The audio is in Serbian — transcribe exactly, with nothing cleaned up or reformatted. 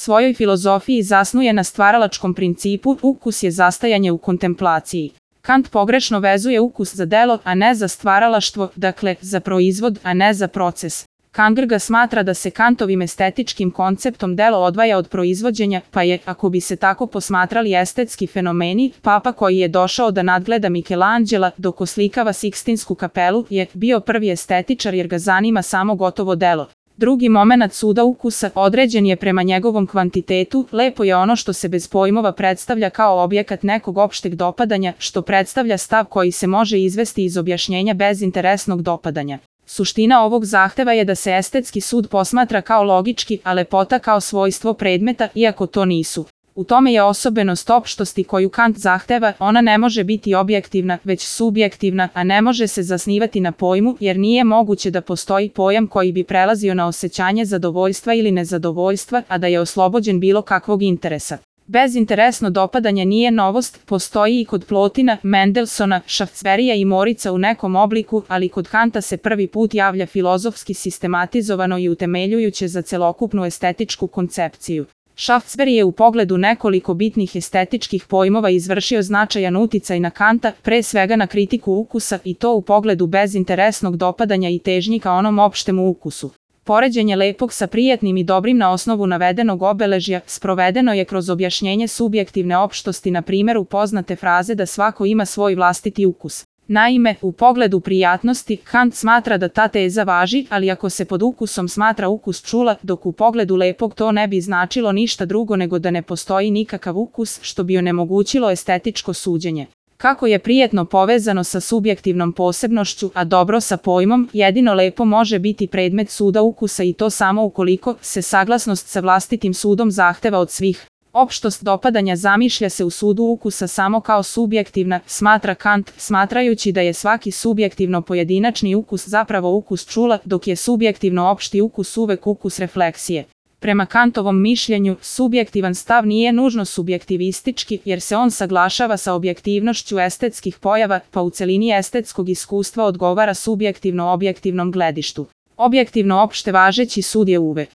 svojoj filozofiji zasnuje na stvaralačkom principu, ukus je zastajanje u kontemplaciji. Kant pogrešno vezuje ukus za delo, a ne za stvaralaštvo, dakle, za proizvod, a ne za proces. Kierkegaard smatra da se Kantovim estetičkim konceptom delo odvaja od proizvođenja, pa je, ako bi se tako posmatrali estetski fenomeni, papa koji je došao da nadgleda Michelangela dok oslikava Sikstinsku kapelu je bio prvi estetičar jer ga zanima samo gotovo delo. Drugi momenat suda ukusa određen je prema njegovom kvantitetu, lepo je ono što se bez pojmova predstavlja kao objekat nekog opšteg dopadanja, što predstavlja stav koji se može izvesti iz objašnjenja bezinteresnog dopadanja. Suština ovog zahteva je da se estetski sud posmatra kao logički, a lepota kao svojstvo predmeta, iako to nisu. U tome je osobenost opštosti koju Kant zahteva, ona ne može biti objektivna, već subjektivna, a ne može se zasnivati na pojmu, jer nije moguće da postoji pojam koji bi prelazio na osjećanje zadovoljstva ili nezadovoljstva, a da je oslobođen bilo kakvog interesa. Bezinteresno dopadanje nije novost, postoji i kod Plotina, Mendelsona, Šaftsberija i Morica u nekom obliku, ali kod Kanta se prvi put javlja filozofski sistematizovano i utemeljujuće za celokupnu estetičku koncepciju. Šaftsberi je u pogledu nekoliko bitnih estetičkih pojmova izvršio značajan uticaj na Kanta, pre svega na kritiku ukusa i to u pogledu bezinteresnog dopadanja i težnji ka onom opštem ukusu. Poređenje lepog sa prijatnim i dobrim na osnovu navedenog obeležja sprovedeno je kroz objašnjenje subjektivne opštosti na primjeru poznate fraze da svako ima svoj vlastiti ukus. Naime, u pogledu prijatnosti, Kant smatra da ta teza važi, ali ako se pod ukusom smatra ukus čula, dok u pogledu lepog to ne bi značilo ništa drugo nego da ne postoji nikakav ukus, što bi onemogućilo estetičko suđenje. Kako je prijetno povezano sa subjektivnom posebnošću, a dobro sa pojmom, jedino lepo može biti predmet suda ukusa i to samo ukoliko se saglasnost sa vlastitim sudom zahteva od svih. Opštost dopadanja zamišlja se u sudu ukusa samo kao subjektivna, smatra Kant, smatrajući da je svaki subjektivno pojedinačni ukus zapravo ukus čula, dok je subjektivno opšti ukus uvek ukus refleksije. Prema Kantovom mišljenju, subjektivan stav nije nužno subjektivistički, jer se on saglašava sa objektivnošću estetskih pojava, pa u celini estetskog iskustva odgovara subjektivno objektivnom gledištu. Objektivno opšte važeći sud je uvek